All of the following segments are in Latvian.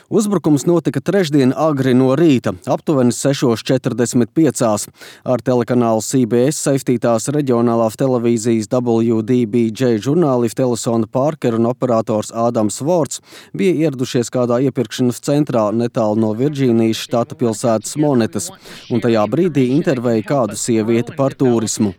Uzbrukums notika trešdien agri no rīta, aptuveni 6:45. Ar telekanālu CBS saistītās reģionālās televīzijas WDBJ žurnālisti Elisona Parker un operators Ādams Vorts bija ieradušies kādā iepirkšanas centrā netālu no Virģīnijas štata pilsētas Monetas, un tajā brīdī intervēja kādu sievieti par turismu.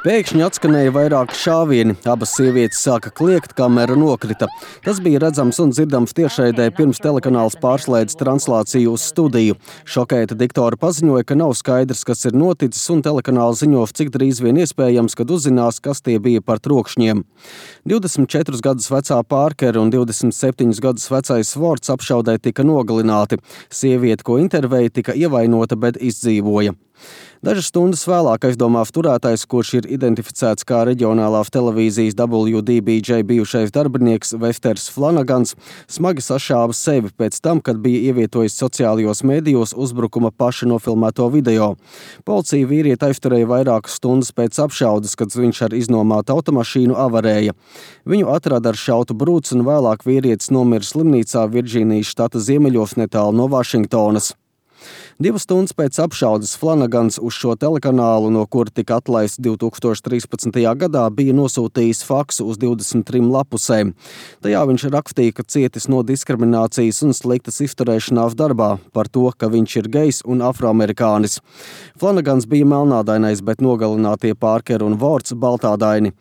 Pēkšņi atskanēja vairāki šāvieni, abas sievietes sāka kliegt, kamera nokrita. Tas bija redzams un dzirdams tiešraidē pirms telekanāls pārslēdz translāciju uz studiju. Šokēta diktora paziņoja, ka nav skaidrs, kas ir noticis, un telekanāls ziņo, cik drīz vien iespējams, kad uzzinās, kas tie bija par trokšņiem. 24 gadus vecā Parker un 27 gadus vecais Vorts apšaudē tika nogalināti. Sieviete, ko intervēja, tika ievainota, bet izdzīvoja. Dažas stundas vēlāk aizdomās turētais, kurš ir identificēts kā reģionālās televīzijas WDBJ bijušais darbinieks Vesters Flanagans, smagi sašāva sevi pēc tam, kad bija ievietojis sociālajos mēdījos uzbrukuma paša nofilmēto video. Policija vīrieti aizturēja vairākas stundas pēc apšaudes, kad viņš ar iznomātu automašīnu avarēja. Viņu atrada ar šautu brūci, un vēlāk vīrietis nomira slimnīcā Virģīnijas štata ziemeļos netālu no Vašingtonas. 2 stundas pēc apšaudes Flanagans uz šo telekanālu, no kura tika atlaists 2013. gadā, bija nosūtījis faksu uz 23 lapusēm. Tajā viņš rakstīja, ka cietis no diskriminācijas un sliktas izturēšanās darbā, par to, ka viņš ir gejs un afroamerikānis. Flanagans bija melnādainais, bet nogalinātie Parker un Vorts baltādaini.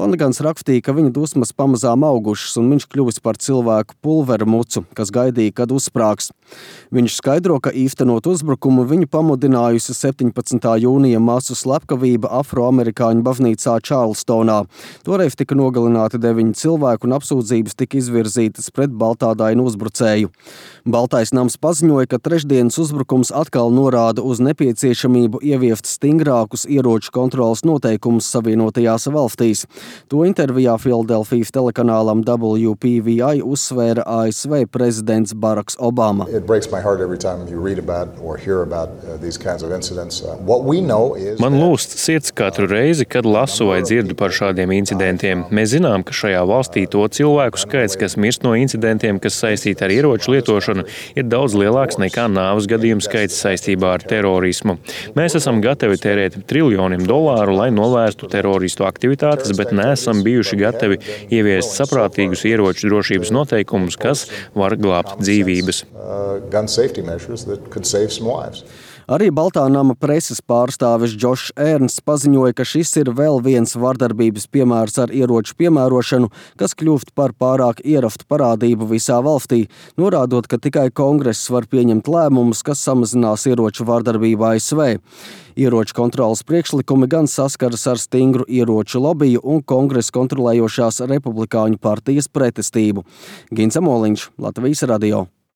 Flanagans rakstīja, ka viņa dusmas pamazām augušas, un viņš kļuvis par cilvēku pulveru mucu, kas gaidīja, kad uzsprāgs. Viņš skaidro, ka īstenot uzbrukumu viņu pamudinājusi 17. jūnija masu slepkavība afroamerikāņu baznīcā Čārlstonā. Toreiz tika nogalināti 9 cilvēku un apsūdzības tika izvirzītas pret baltādainu uzbrucēju. Baltais nams paziņoja, ka trešdienas uzbrukums atkal norāda uz nepieciešamību ieviest stingrākus ieroču kontrolas noteikumus Savienotajās valstīs. To intervijā Filadelfijas telekanālam WPVI uzsvēra ASV prezidents Baraks Obama. Man lūst sirds katru reizi, kad lasu vai dzirdu par šādiem incidentiem. Mēs zinām, ka šajā valstī to cilvēku skaits, kas mirst no incidentiem, kas saistīti ar ieroču lietošanu, ir daudz lielāks nekā nāves gadījumu skaits saistībā ar terorismu. Mēs esam gatavi tērēt triljoniem dolāru, lai novērstu teroristu aktivitātes, bet neesam bijuši gatavi ieviest saprātīgus ieroču drošības noteikumus, kas var glābt dzīvības. Arī Baltā nama preses pārstāvis Džošs Ernsts paziņoja, ka šis ir vēl viens vardarbības piemērs ar ieroču piemērošanu, kas kļūst par pārāk ierastu parādību visā valstī, norādot, ka tikai kongress var pieņemt lēmumus, kas samazinās ieroču vardarbību ASV. Ieroču kontrolas priekšlikumi gan saskaras ar stingru ieroču lobiju un kongresa kontrolējošās republikāņu partijas pretestību. Gins Amoliņš, Latvijas radio.